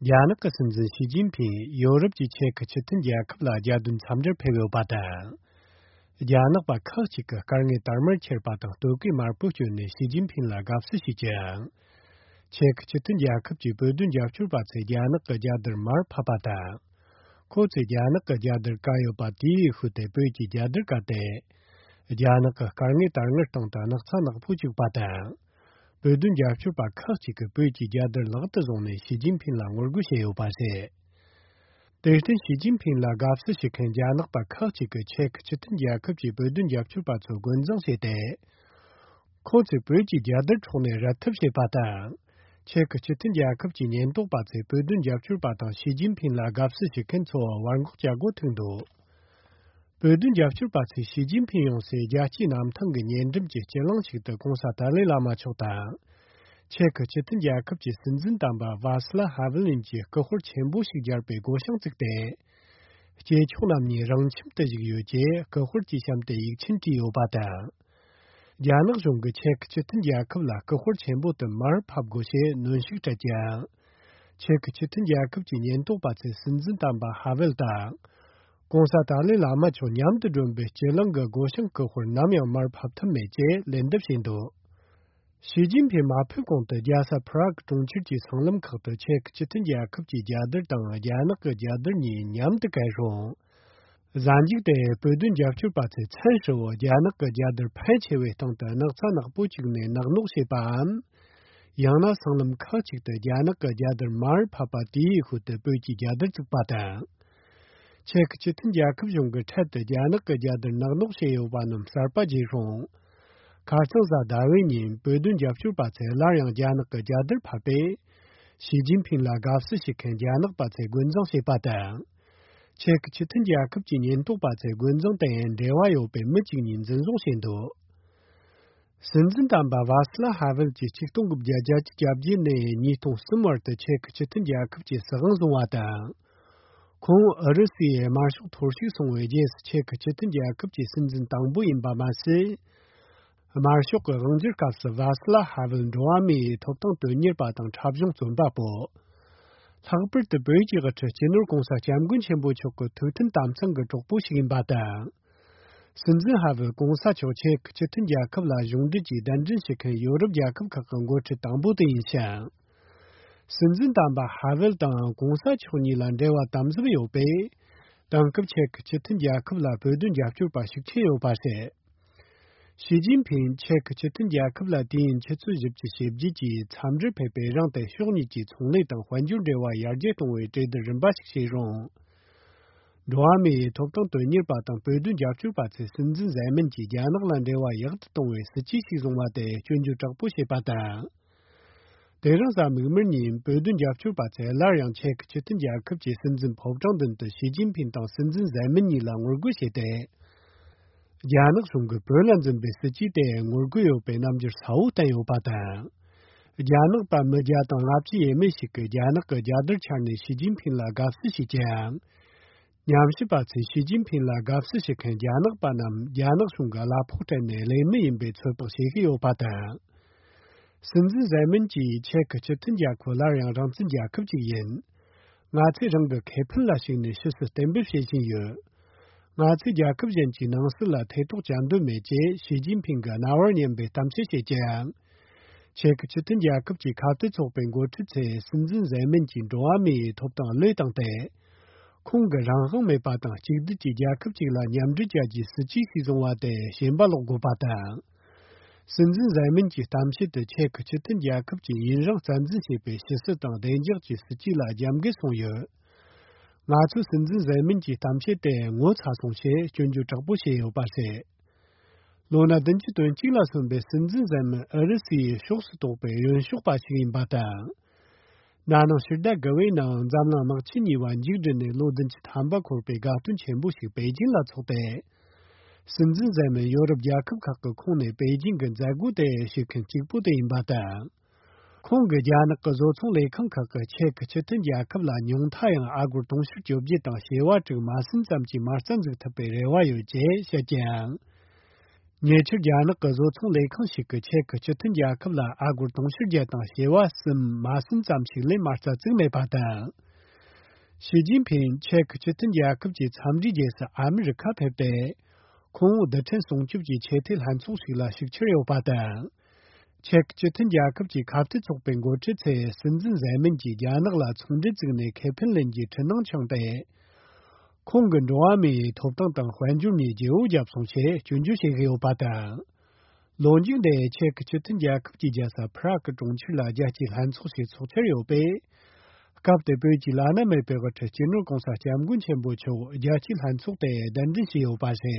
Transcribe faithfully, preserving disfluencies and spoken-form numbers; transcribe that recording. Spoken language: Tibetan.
རྒྱ་ནག་གི་སྲིད་འཛིན་ཞི་ཅིན་ཕིང་ཡོ་རོབ་ཀྱི་ཅེ་ཁི་སྤྱི་མཐུན་རྒྱལ་ཁབ་ལ་རྒྱལ་དོན་འཚམས་འདྲིར་ཕེབས་ཡོད་པ་དང་། རྒྱ་ནག་པ་ཁག་ཅིག་གིས་སྐར་ལྔའི་དར་དམར་འཁྱེར་པ་དང་སྟོད་གོས་དམར་པོ་གྱོན་ནས་ཞི་ཅིན་ཕིང་ལ་དགའ་བསུ་ཞུས་ཀྱང་། ཅེ་ཁི་སྤྱི་མཐུན་རྒྱལ་ཁབ་ཀྱི་བོད་དོན་རྒྱབ་སྐྱོར་པ་ཚོས་རྒྱ་ནག་གི་རྒྱལ་དར་མར་ཕབ་པ་དང་། ཁོ་ཚོས་རྒྱ་ནག་གི་རྒྱལ་དར་བཀལ་ཡོད་པ་དེའི་ཤུལ་དུ་བོད་ཀྱི་རྒྱལ་དར་བཀལ་ཏེ། རྒྱ་ནག་གི་སྐར་ལྔའི་དར་དམར་སྟེང་དུ་སྣག་ཚ་ནག་པོ་བཅུག་པ་དང་། བོད་དོན་རྒྱབ་སྐྱོར་པ་ཁག་ཅིག་གིས་བོད་ཀྱི་རྒྱལ་དར་ལག་ཏུ་བཟུང་ནས་ཞི་ཅིན་ཕིང་ལ་ངོ་རྒོལ་བྱས་ཡོད་པ་རེད། དེར་བརྟེན་ཞི་ཅིན་ཕིང་ལ་དགའ་བསུ་ཞུ་མཁན་རྒྱ་ནག་པ་ཁག་ཅིག་གིས་ཅེ་ཁི་སྤྱི་མཐུན་རྒྱལ་ཁབ་ཀྱི་བོད་དོན་རྒྱབ་སྐྱོར་པ་ཚོ་རྒོལ་འཛིང་བྱས་ཏེ། ཁོ་ཚོས་བོད་ཀྱི་རྒྱལ་དར་འཕྲོག་ནས་རལ་ཐབས་བྱས་པ་དང་། ཅེ་ཁི་སྤྱི་མཐུན་རྒྱལ་ཁབ་ཀྱི་ཉེན་རྟོག་པ་ཚོས་བོད་དོན་རྒྱབ་སྐྱོར་པ་དང་ཞི་ཅིན་ཕིང་ལ་དགའ་བསུ་ཞུ་མཁན་ཚོ་བར་འགོག་བྱ་དགོས་ཐུག་འདུག་བོད་དོན་རྒྱབ་སྐྱོར་པ་ཚོས་ཞི་ཅིན་ཕིང་ཡོང་སའི་རྒྱལ་སྤྱིའི་གནམ་ཐང་གི་ཉེ་འགྲམ་གྱི་སྤྱི་གླིང་ཞིག་ཏུ་གོང་ས་ཏཱ་ལའི་བླ་མ་མཆོག་དང་། ཅེ་ཁི་སྤྱི་མཐུན་རྒྱལ་ཁབ་ཀྱི་སྲིད་འཛིན་དམ་པ་ཝཱ་སི་ལ་ཧ་ཝེ་ལིན་གྱི་སྐུ་དཔར་ཆེན་པོ་ཞིག་སྦྱར་བའི་སྒོ་བྱང་བཙུགས་ཏེ། སྐྱེས་མཆོག་རྣམ་གཉིས་རང་ཁྱིམ་དུ་བཞུགས་ཡོད་ཅེས་སྐུ་དཔར་གྱི་གཤམ་དུ་ཡིག་ཆེན་བྲིས་ཡོད་པ་དང་། རྒྱ་ནག་གཞུང་གིས་ཅེ་ཁི་སྤྱི་མཐུན་རྒྱལ་ཁབ་ལ་སྐུ་དཔར་ཆེན་པོ་དེ་མར་ཕབ་དགོས་ཞེས་གནོན་ཤུགས་སྤྲད་ཀྱང་། ཅེ་ཁི་སྤྱི་མཐུན་རྒྱལ་ཁབ་ཀྱི་ཉེན་རྟོག་པ་ཚོས་སྲིད་འཛིན་དམ་པ་ཧ་ཝེལ་དང་། གོང་ས་ཏཱ་ལའི་བླ་མ་མཆོག་མཉམ་དུ་བསྒྲོན་པའི་སྤྱི་གླིང་གི་སྒོ་བྱང་སྐུ་དཔར་ནམ་ཡང་མར་ཕབ་ཐུབ་མེད་ཅེས་ལན་འདེབས་བྱས་འདུག་ཞི་ཅིན་ཕིང་མ་ཕེབས་གོང་དུ་རྒྱལ་ས་ཕུ་རག་གྲོང་ཁྱེར་གྱི་སྲང་ལམ་ཁག་ཏུ་ཅེ་ཁི་སྤྱི་མཐུན་རྒྱལ་ཁབ་ཀྱི་རྒྱལ་དར་དང་རྒྱ་ནག་གི་རྒྱལ་དར་གཉིས་མཉམ་དུ་བཀལ་རུང་། གཟའ་མཇུག་དེ་བོད་དོན་རྒྱབ་སྐྱོར་པ་ཚོས་མཚན་ཧྲིལ་བོ་རྒྱ་ནག་གི་རྒྱལ་དར་ཕལ་ཆེ་བའི་སྟེང་དུ་སྣག་ཚ་ནག་པོ་བཅུག་ནས་ནག་ནོག་བྱས་པའམ། ཡང་ན་སྲང་ལམ་ཁག་ཅིག་ཏུ་རྒྱ་ནག་གི་རྒྱལ་དར་མར་ཕབ་པ་དེའི་ཤུལ་དུ་བོད་ཀྱི་རྒྱལ་དར་བཙུགས་པ་དང་། ཅེ་ཁི་སྤྱི་མཐུན་རྒྱལ་ཁབ་གཞུང་གིས་འཕྲལ་དུ་རྒྱ་ནག་གི་རྒྱལ་དར་ནག་ནོག་བྱས་ཡོད་པ་རྣམས་གསར་པ་བརྗེས་རུང་། ཁ་རྩང་གཟའ་ཟླ་བའི་ཉིན་བོད་དོན་རྒྱབ་སྐྱོར་པ་ཚོས་སླར་ཡང་རྒྱ་ནག་གི་རྒྱལ་དར་ཕབ་པས། ཞི་ཅིན་ཕིང་ལ་དགའ་བསུ་ཞུ་མཁན་རྒྱ་ནག་པ་ཚོས་རྒོལ་འཛིང་བྱས་པ་དང་། ཅེ་ཁི་སྤྱི་མཐུན་རྒྱལ་ཁབ་ཀྱི་ཉེན་རྟོག་པ་ཚོས་རྒོལ་འཛིང་དེ་འབྲེལ་བ་ཡོད་པའི་མི་གཅིག་གཉིས་འཛིན་བཟུང་བྱས་འདུག་སྲིད་འཛིན་དམ་པ་ཝཱ་སི་ལ་ཧ་ཝེལ་གྱིས་ཆིག་སྟོང་དགུ་བརྒྱ་བརྒྱད་ཅུ་གྱ་བརྒྱད་ནས་ཉིས་སྟོང་གསུམ་བར་དུ་ཅེ་ཁི་སྤྱི་མཐུན་རྒྱལ་ཁབ་ཀྱི་སྲིད་དབང་བཟུང་བ་དང་། ཁོང་ཨུ་རུ་སུའི་དམར་ཤོག་ཐོར་ཞིག་སོང་བའི་རྗེས་སུ་ཅེ་ཁི་སྤྱི་མཐུན་རྒྱལ་ཁབ་ཀྱི་སྲིད་འཛིན་དང་པོ་ཡིན་པ་མ་ཟད། དམར་ཤོག་གི་དབང་སྒྱུར་སྐབས་སུ་ཝཱ་སི་ལ་ཧ་ཝེལ་འགྲོ་བ་མིའི་ཐོབ་ཐང་དོན་གཉེར་པ་དང་འཁྲབ་གཞུང་རྩོམ་པ་པོ། ལྷག་པར་དུ་བོད་ཀྱི་དབུ་ཁྲིད་སྤྱི་ནོར་༸གོང་ས་༸སྐྱབས་མགོན་ཆེན་པོ་མཆོག་གི་ཐུགས་མཐུན་དམ་གཙང་གི་གྲོགས་པོ་ཞིག་ཡིན་པ་དང་། སྲིད་འཛིན་ཧ་ཝེལ་༸གོང་ས་མཆོག་ཅེ་ཁི་སྤྱི་མཐུན་རྒྱལ་ཁབ་ལ་གཞུང་འབྲེལ་གྱིས་གདན་འདྲེན་བྱེད་མཁན་ཡོ་རོབ་རྒྱལ་ཁབ་ཁག་གི་འགོ་ཁྲིད་དང་པོ་དེ་ཡིན་ཞིང་། སྲིད་འཛིན་དམ་པ་ཧ་ཝེལ་དང་༸གོང་ས་མཆོག་གཉིས་ལ་འབྲེལ་བ་དམ་ཟབ་ཡོད་པས། དེང་སྐབས་ཅེ་ཁི་སྤྱི་མཐུན་རྒྱལ་ཁབ་ལ་བོད་དོན་རྒྱབ་སྐྱོར་པ་ཤུགས་ཆེ་ཡོད་པ་རེད། ཞི་ཅིན་ཕིང་ཅེ་ཁི་སྤྱི་མཐུན་རྒྱལ་ཁབ་ལ་དུས་ཡུན་ཆུ་ཚོད་བཞི་བཅུ་ཞེ་བརྒྱད་ཀྱི་འཚམས་འདྲིར་ཕེབས་པའི་རིང་དུ་ཕྱོགས་གཉིས་ཀྱི་ཚོང་ལས་དང་དཔལ་འབྱོར་འབྲེལ་བ་ཡར་རྒྱས་གཏོང་བའི་གྲོས་བསྡུར་རིམ་པ་ཞིག་བྱས་རུང་། འགྲོ་བ་མིའི་ཐོབ་ཐང་དོན་གཉེར་པ་དང་བོད་དོན་རྒྱབ་སྐྱོར་པ་ཚོས་སྲིད་འཛིན་གཟེར་མིན་གྱིས་རྒྱ་ནག་ལ་འབྲེལ་བ་ཡག་ཏུ་གཏོང་བའི་སྲིད་ཇུས་ཤིག་བཟུང་བ་དེ་སྐྱོན་བརྗོད་དྲག་པོ་བྱས་པ་དང་། དེ་རིང་གཟའ་མིག་དམར་ཉིན་བོད་དོན་རྒྱབ་སྐྱོར་པ་ཚོས་སླར་ཡང་ཅེ་ཁི་སྤྱི་མཐུན་རྒྱལ་ཁབ་ཀྱི་སྲིད་འཛིན་ཕོ་བྲང་མདུན་དུ་ཞི་ཅིན་ཕིང་དང་སྲིད་འཛིན་གཟེར་མིན་གཉིས་ལ་ངོ་རྒོལ་བྱས་ཏེ། རྒྱ་ནག་གཞུང་གིས་བོད་ལ་འཛིན་པའི་སྲིད་ཇུས་དེ་ངོ་རྒོལ་ཡོད་པའི་རྣམ་འགྱུར་གསལ་བོ་བསྟན་ཡོད་པ་དང་། རྒྱ་ནག་པ་མི་བརྒྱ་དང་ལྔ་བཅུ་ཡས་མས་ཤིག་གིས་རྒྱ་ནག་གི་རྒྱལ་དར་འཕྱར་ནས་ཞི་ཅིན་ཕིང་ལ་དགའ་བསུ་ཞུས་ཀྱང་། ཉམས་ཞིབ་པ་ཚོས་ཞི་ཅིན་ཕིང་ལ་དགའ་བསུ་ཞུ་མཁན་རྒྱ་ནག་པ་རྣམས་རྒྱ་ནག་གཞུང་གི་གླ་ཕོགས་སྤྲད་ནས་ལས་མི་ཡིན་པའི་ཚོད་དཔག་བྱེད་ཀྱི་ཡོད་པ་དང་། སྲིད་འཛིན་གཟེར་མིན་གྱིས་ཅེ་ཁི་སྤྱི་མཐུན་རྒྱལ་ཁབ་སླར་ཡང་རང་བཙན་རྒྱལ་ཁབ་ཅིག་ཡིན། ང་ཚོས་རང་གི་ཁེ་ཕན་ལ་གཞིགས་ནས་ཕྱི་སྲིད་གཏན་འབེབས་བྱེད་བཞིན་ཡོད། ང་ཚོས་རྒྱལ་ཁབ་གཞན་གྱི་ནང་སྲིད་ལ་ཐེ་གཏོགས་བྱ་འདོད་མེད་ཅེས་ཞི་ཅིན་ཕིང་གི་རྣ་བར་སྙན་པའི་གཏམ་བཤད་བྱེད་ཀྱང་། ཅེ་ཁི་སྤྱི་མཐུན་རྒྱལ་ཁབ་ཀྱི་ཁ་གཏད་ཚོགས་པའི་འགོ་ཁྲིད་ཚོས་སྲིད་འཛིན་གཟེར་མིན་གྱིས་འགྲོ་བ་མིའི་ཐོབ་ཐང་བློས་བཏང་སྟེ། ཁོང་གིས་རང་དབང་མེད་པ་དང་གཅིག་སྡུད་ཀྱི་རྒྱལ་ཁབ་ཅིག་ལ་མཉམ་འབྲེལ་བྱ་རྒྱུའི་སྲིད་ཇུས་ཤིག་བཟུང་བ་དེ་ཞེན་པ་ལོག་དགོས་པ་དང་། སྲིད་འཛིན་གཟེར་མིན་གྱི་གཏམ་བཤད་དེ་ཅེ་ཁི་སྤྱི་མཐུན་རྒྱལ་ཁབ་ཀྱིས་ཡུན་རིང་རྩ་འཛིན་བྱས་པའི་ཕྱི་སྲིད་དང་བདེ་འཇགས་ཀྱི་སྲིད་ཇུས་ལ་རྒྱབ་འགལ་སོང་ཡོད། ང་ཚོས་སྲིད་འཛིན་གཟེར་མིན་གྱི་གཏམ་བཤད་དེ་ངོ་ཚ་སོང་ཞེས་སྐྱོན་བརྗོད་དྲག་པོ་བྱས་ཡོད་པ་རེད། ལོ་ན་བདུན་ཅུ་དོན་གཅིག་ལ་སོན་པའི་སྲིད་འཛིན་གཟེར་མིན་ཨུ་རུ་སུའི་ཕྱོགས་སུ་གཏོགས་པའི་གཡོན་ཕྱོགས་པ་ཞིག་ཡིན་པ་དང་། ན་ནིང་ཕྱི་ཟླ་དགུ་པའི་ནང་འཛམ་གླིང་དམག་ཆེན་གཉིས་པ་མཇུག་བསྒྲིལ་ནས་ལོ་བདུན་ཅུ་ཐམ་པ་འཁོར་བའི་དགའ་སྟོན་ཆེན་པོ་ཞིག་པེ་ཅིང་ལ་འཚོགས་ཏེ། སྲིད་འཛིན་གཟེར་མིན་ཡོ་རོབ་རྒྱལ་ཁབ་ཁག་གི་ཁོངས་ནས་པེ་ཅིང་གི་མཛད་སྒོ་དེ་ཞུགས་མཁན་གཅིག་པུ་དེ་ཡིན་པ་དང་། ཁོང་གིས་རྒྱ་ནག་གི་བཟོ་ཚོང་ལས་ཁང་ཁག་གིས་ཅེ་ཁི་སྤྱི་མཐུན་རྒྱལ་ཁབ་ལ་ཉུང་མཐའ་ཡང་ཨ་སྒོར་དུང་ཕྱུར་བཅོ་བརྒྱད་དང་བྱེ་བ་དྲུག་མ་ཟིན་ཙམ་གྱི་མ་རྩ་འཛུགས་ཐུབ་པའི་རེ་བ་ཡོད་ཅེས་བཤད་ཀྱང་། ཉེ་ཆར་རྒྱ་ནག་གི་བཟོ་ཚོང་ལས་ཁང་ཞིག་གིས་ཅེག་སྤྱི་མཐུན་རྒྱལ་ཁབ་ལ་ཨ་སྒོར་དུང་ཕྱུར་བརྒྱད་དང་བྱེ་བ་གསུམ་མ་ཟིན་ཙམ་ཞིག་ལས་མ་རྩ་བཙུགས་མེད་པ་དང་། ཞི་ཅིན་ཕིང་ཅེག་སྤྱི་མཐུན་རྒྱལ་ཁབ་ཀྱི་འཚམས་འདྲིའི་རྗེས་སུ་ཨ་མི་རི་ཁ་ཕེབས་ཏེ། ཁོང་བོ་རྡུལ་ཕྲན་སྲུང་སྐྱོབ་ཀྱི་ཆེས་མཐོའི་ལྷན་ཚོགས་ཤིག་ལ་ཞུགས་འཆར་ཡོད་པ་དང་། ཅེག་སྤྱི་མཐུན་རྒྱལ་ཁབ་ཀྱི་ཁ་གཏད་ཚོགས་པའི་འགོ་ཁྲིད་ཚོས་སྲིད་འཛིན་ཟེ་མིན་གྱིས་རྒྱ་ནག་ལ་ཚོང་འབྲེལ་བཙུགས་ནས་ཁེ་ཕན་ལེན་རྒྱུའི་འཕྲུལ་སྣང་འཆང་སྟེ། ཁོང་གི་འགྲོ་བ་མིའི་ཐོབ་ཐང་དང་དཔལ་འབྱོར་གཉིས་བརྗེ་བོ་བརྒྱབ་སོང་ཞེས་སྐྱོན་བརྗོད་བྱེད་ཀྱི་ཡོད་པ་དང་། ལོ་མཇུག་འདིར་ཅེག་སྤྱི་མཐུན་རྒྱལ་ཁབ་ཀྱི་རྒྱལ་ས་ཕ་རག་གི་གྲོང་ཁྱེར་ལ་རྒྱལ་སྤྱིའི་ལྷན་ཚོགས་ཤིག་ཚོགས་འཆར་ཡོད་པས། སྐབས་དེར་བོད་ཀྱི་བླ་ན་མེད་པའི་དབུ་ཁྲིད་སྤྱི་ནོར་གོང་ས་སྐྱབས་མགོན་ཆེན་པོ་མཆོག་རྒྱལ་སྤྱིའི་ལྷན་ཚོགས་དེར་གདན་འདྲེན་བྱས་ཡོད་པ་རེད།